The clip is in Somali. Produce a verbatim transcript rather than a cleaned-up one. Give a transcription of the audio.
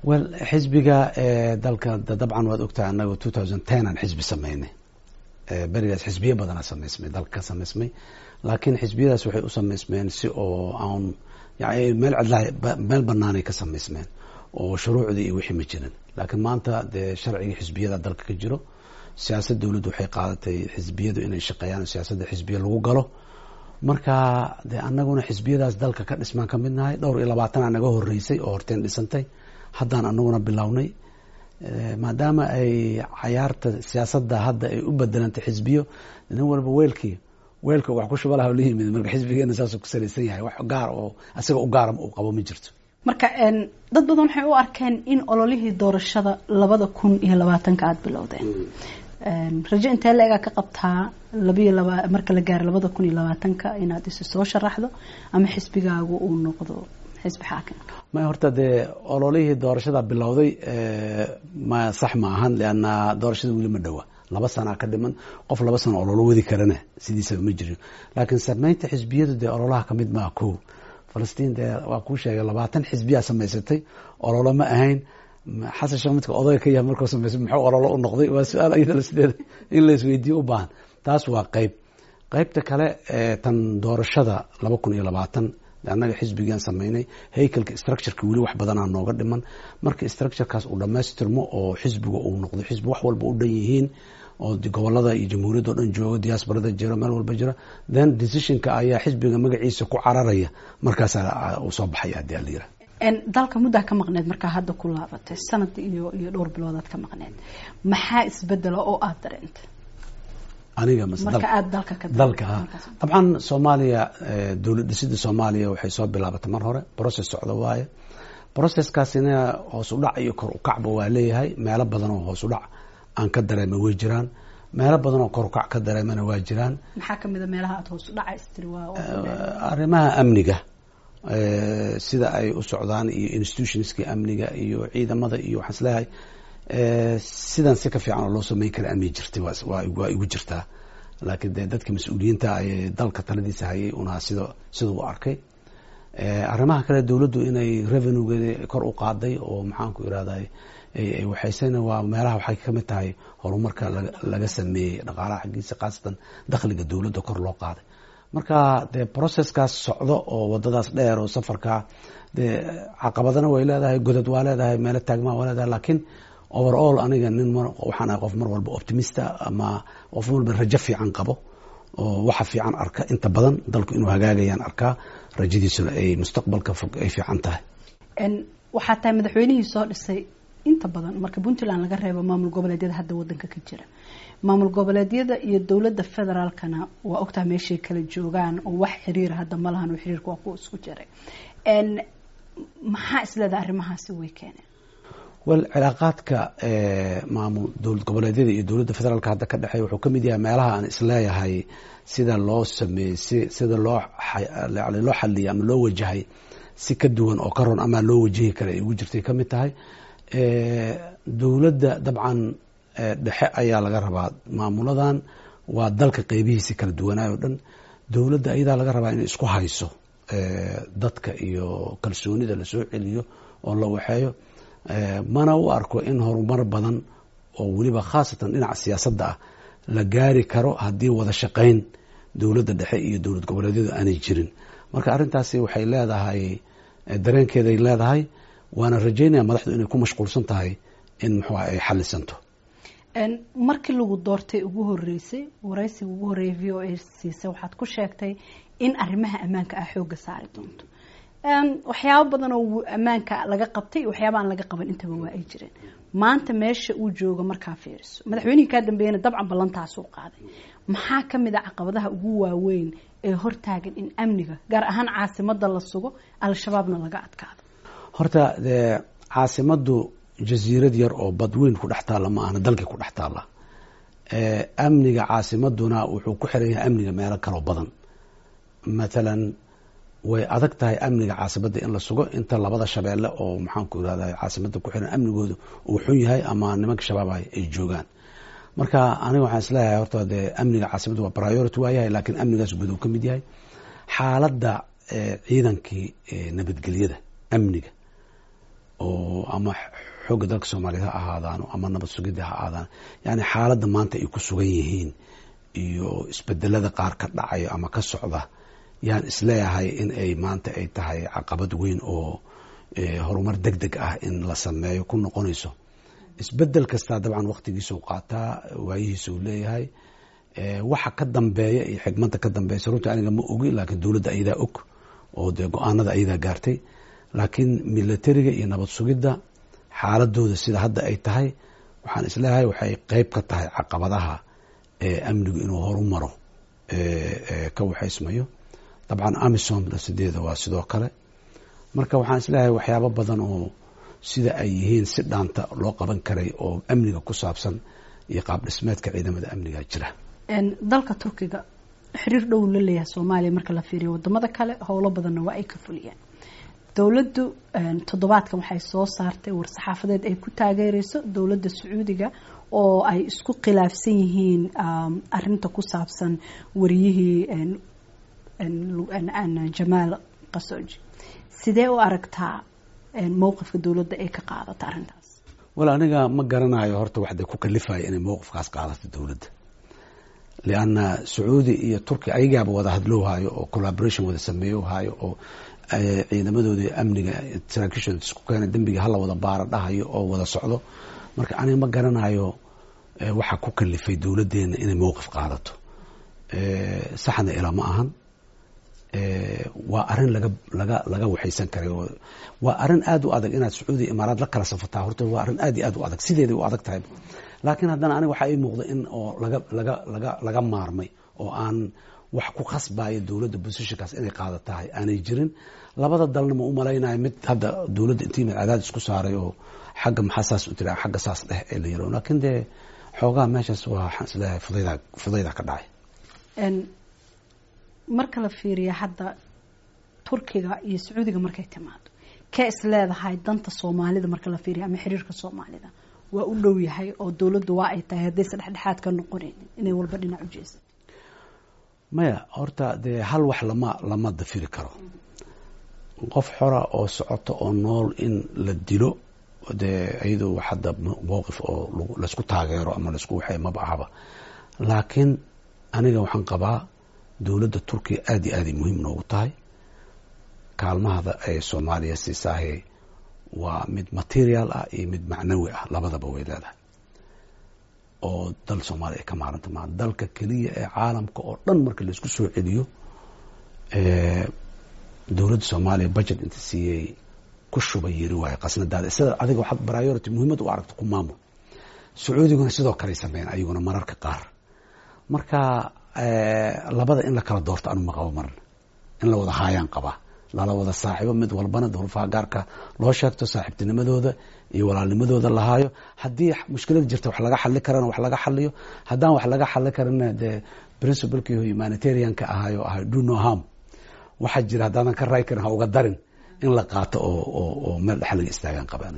Well, xisbiga dalka dabcan waad ogtahay, annaga two thousand ten aan xisbi sameynay. Berigaas xisbiyo badanaa samaysmay, dalka ka samaysmay, laakiin xisbiyadaas waxay u samaysmeen si oo aan yani meel cidlaha, meel banaanay ka samaysmeen oo shuruucdii iyo wixii ma jirin. Laakiin maanta dee sharcigii xisbiyada dalka ka jiro, siyaasad dowladdu waxay qaadatay xisbiyadu inay shaqeeyaan, siyaasadda xisbiya lagu galo. Marka dee annaguna xisbiyadaas dalka ka dhismaan ka mid nahay. Dhowr iyo labaatanaa naga horeysay oo horteen dhisantay, haddaan anaguna bilownay, maadaama ay cayaarta siyaasadda hadda ay u bedelantay xisbiyo, nin walba weelkii weelka wax ku shuba laha la yimid. Marka xisbigeena saasuu ku salaysan yahay, wax gaar oo asaga u gaara uu qabo ma jirto. Marka dad badan waxay u arkeen in ololihii doorashada labada kun iyo labaatanka aada bilowdeen. Rajo intee la-egaa ka qabtaa labiyo laba marka la gaaro labada kun iyo labaatanka inaad isu soo sharaxdo ama xisbigaagu uu noqdo xisbi xaakimka? May, horta dee ololihii doorashada bilowday ma sax ma ahan, lianna doorashada weli ma dhowa, laba sanaa ka dhiman. Qof laba sano ololo wadi karana sidiisaba ma jirin. Laakiin sameynta xisbiyadu dee ololaha kamid maa. Ko Falastiin dee waa kuu sheegay, labaatan xisbiyaa samaysatay, ololo ma ahayn. Xasan Sheekh midka odayga ka yahay markuu samaysay muxuu ololo u noqday? Waa su-aal iyadana sideeda in la isweydiiyo u baahan. Taas waa qeyb. Qeybta kale, tan doorashada laba kun iyo labaatan, annaga xisbigaan sameynay, haykalka structureka weli wax badanaa nooga dhiman. Marka structurekaas uu dhamaystirmo oo xisbiga uu noqdo xisbi wax walba u dhan yihiin oo gobolada iyo jamhuuriyadda o dhan jooga, diasporada jiro, meel walba jira, then decisionka ayaa xisbiga magaciisa ku cararaya, markaasaa uu soo baxaya hadii ala yiraha. Dalka muddaa ka maqneed, markaa hadda ku laabatay sanad iyo iyo dhowr biloodaad ka maqneed, maxaa isbedela oo aada dareentay? Aniga mase? Marka aada dalka ka dalka? Ha, dabcan Soomaaliya, dowlad dhisida Soomaaliya waxay soo bilaabatay mar hore, process socda waaye. Processkaasina hoos u dhac iyo kor u kacba waa leeyahay. Meelo badan oo hoos u dhac aan ka dareemay way jiraan, meelo badan oo kor u kac ka dareemana waa jiraan. Maxaa kamid a meelaha aada hoos u dhaca istiri waa? Arrimaha amniga sida ay u socdaan iyo institutionskii amniga iyo ciidamada iyo waxaan isleeyahay sidan si ka fiican oo loo sameyn kara amni jirtay waa waa igu jirtaa. Laakiin dee dadka mas-uuliyiinta ay dalka taladiisa hayay unaa sida sida u arkay. Arrimaha kale, dowladdu inay revenuegeeda kor u qaaday oo maxaan ku irahday waxaysana waa meelaha waxay kamid tahay horumarka laga sameeyey dhaqaalaha xaggiisa, khaasatan dakhliga dowladda kor loo qaaday. Marka dee processkaas socdo oo wadadaas dheer oo safarka dee caqabadana way leedahay, godad waa leedahay, meelo taagmaa waa leedahay. Laakiin overall aniga nin waxaan ahay qof mar walba optimista ama qof walba rajo fiican qabo oo waxa fiican arka. Inta badan dalku inuu hagaagayaan arkaa, rajadiisuna ay mustaqbalka fog ay fiican tahay. Waxaa tahay madaxweynihii soo dhisay inta badan, marka Puntland laga reebo, maamul goboleedyada hadda wadanka ka jira. Maamul goboleedyada iyo dowladda federaalkana waa ogtaha meeshay kala joogaan oo wax xiriira hadda ma lahan oo xiriirka waa kuwa isku jiray. Maxaa isleedaha arrimahaasi way keeneen? Well, cilaaqaadka maamul dowlad goboleedyada iyo dowladda federaalka hadda ka dhexeeya wuxuu kamid yahay meelaha aan isleeyahay sida loo sameeyey, si sida loo loo xaliyay ama loo wajahay si ka duwan oo ka ron ama loo wajihi kara ay ugu jirtay kamid tahay. Dowladda dabcan dhexe ayaa laga rabaa, maamuladan waa dalka qeybihiisi kala duwanaayo o dhan, dowladda ayadaa laga rabaa inay isku hayso dadka iyo kalsoonida lasoo celiyo oo la waxeeyo. Mana u arko in horumar badan oo weliba khaasatan dhinaca siyaasadda ah la gaari karo haddii wada shaqayn dowladda dhexe iyo dowlad goboleedyadu aanay jirin. Marka arrintaasi waxay leedahay dareenkeeday leedahay, waana rajaynaya madaxdu inay ku mashquulsan tahay in muxuu ay xalisanto. Markii lagu doortay ugu horeysay, waraysiga ugu horreeyay V O A siisay, waxaad ku sheegtay in arrimaha ammaanka ah xoogga saari doonto. Waxyaabo badan oo ammaanka laga qabtay, waxyaaba aan laga qaban intaba waa ay jireen. Maanta meesha uu joogo markaa fiiriso, madaxweynihii kaa dambeeyana dabcan ballantaasuu qaaday, maxaa kamid a caqabadaha ugu waaweyn ee hortaagan in amniga gaar ahaan caasimada la sugo, Al-Shabaabna laga adkaado? Horta dee caasimaddu jasiirad yar oo badweyn ku dhex taalla ma ahna, dalkii ku dhex taalla. Amniga caasimaduna wuxuu ku xiran yahay amniga meelo kaloo badan. Mathalan way adag tahay amniga caasimadda in la sugo inta labada shabeelle oo maxaan ku irahda caasimadda ku xiran amnigooda uu xun yahay ama nimanka Shabaab ay joogaan. Marka aniga waxaan isleeyahay horta dee amniga caasimadda waa priority waa yahay, laakiin amnigaas guud uu ka mid yahay xaaladda ciidankii nabadgelyada amniga oo ama Xoogga dalka Soomaaliyeed ha ahaadaano ama nabad sugidda ha ahaadaan, yani xaaladda maanta ay ku sugan yihiin iyo isbedelada qaar ka dhacayo ama ka socda, yaan isleeyahay in ay maanta ay tahay caqabad weyn oo horumar deg deg ah in la sameeyo ku noqonayso. Isbedel kastaa dabcan waqtigiisau qaataa, waayihiisa uu leeyahay. Waxa ka dambeeya iyo xigmadda ka dambeysa runtii aniga ma ogi, laakiin dowladda ayadaa og oo dee go-aanada ayadaa gaartay. Laakiin militariga iyo nabad sugidda xaaladooda sida hadda ay tahay, waxaan isleeyahay waxay qeyb ka tahay caqabadaha amnigu inuu horumaro ka waxaysmayo. Dabcan AMISOM sideeda waa sidoo kale. Marka waxaan isleeyahay waxyaabo badan oo sida ay yihiin si dhaanta loo qaban karay oo amniga ku saabsan iyo qaab dhismeedka ciidamada amniga jira. Dalka Turkiga xiriir dhow la leeyahay Soomaaliya marka la fiiriyo wadamada kale, howlo badanna waa ay ka fuliyeen. Dowladdu toddobaadkan waxay soo saartay war-saxaafadeed ay ku taageereyso dowladda Sacuudiga oo ay isku khilaafsan yihiin arinta ku saabsan wariyihii Jamaal Khashoggi. Sidee u aragtaa mowqifka dowladda ay ka qaadato arrintaas? Wal, aniga ma garanayo horta waxda ku kalifaya inay mowqifkaas qaadato dowladda, lianna Sacuudi iyo Turkiya ayagaaba wada hadlowhayo oo collaboration wada sameeyohayo oo ciidamadooda amniga saraakiishooda isku keena, dembiga hala wada baara dhahayo oo wada socdo. Marka aniga ma garanayo waxa ku kalifay dowladdeena inay mowqif qaadato. Saxna ilaa ma ahan, waa arrin laga laga laga waxaysan karay. Waa arrin aada u adag inaad Sacuudiya Imaaraad la kala safataa. Horta waa arrin aad iyo aad u adag, sideeday u adag tahay. Laakiin haddana aniga waxaa ii muuqda in oo laga laga laga laga maarmay oo aan wax ku khasbayo dowladda positionkaas inay qaada tahay aanay jirin. Labada dalna ma u malaynayo mid hadda dowladda intii mid cadaadis isku saaray oo xagga maxaa saas u tira, xagga saas dheh ee la yiro. Laakiin dee xoogaha meeshaas waa, waxaan isleeyahay fudayda fudayda ka dhacay. Marka la fiiriyo hadda Turkiga iyo Sacuudiga markay timaado, kee is leedahay danta Soomaalida marka la fiiriyo ama xiriirka Soomaalida waa u dhow yahay oo dowladdu waa ay tahay haddaysa dhexdhexaad ka noqonaynin inay walba dhinac u jeesato? Maya, horta dee hal wax lama lama dafiri karo: qof xora oo socoto oo nool in la dilo, dee iyadoo wax hadda mowqif oo laysku taageero ama laisku waxay maba ahaba. Laakiin aniga waxaan qabaa dowladda Turkiya aada iyo aaday muhiim noogu tahay. Kaalmahada ay Soomaaliya siisaahe waa mid material ah iyo mid macnawi ah, labadaba way leedahay, oo dal Soomaaliya ay ka maaranta maa. Dalka keliya ee caalamka oo dhan marka laisku soo celiyo dowladda Soomaaliya budget inta siiyey ku shubay yiri waayo qasnadaada sida adiga waxaad priority muhiimad u aragto ku maamul. Sacuudiguna sidoo kale sameeyeen ayaguna mararka qaar. Marka labada in la kala doorto anu ma qabo marna, in la wada haayaan qabaa, lala wada saaxiibo, mid walbana duruufaha gaarka loo sheegto, saaxiibtinimadooda iyo walaalnimadooda lahaayo. Haddii mushkilada jirta wax laga xali karana wax laga xaliyo, haddaan wax laga xali karana dee principlekii humanitarianka ahayo ahay do no harm, waxaa jira haddaadan ka raay karin ha uga darin, in la qaato oo oo oo meel dhex laga istaagaan qaba aniga.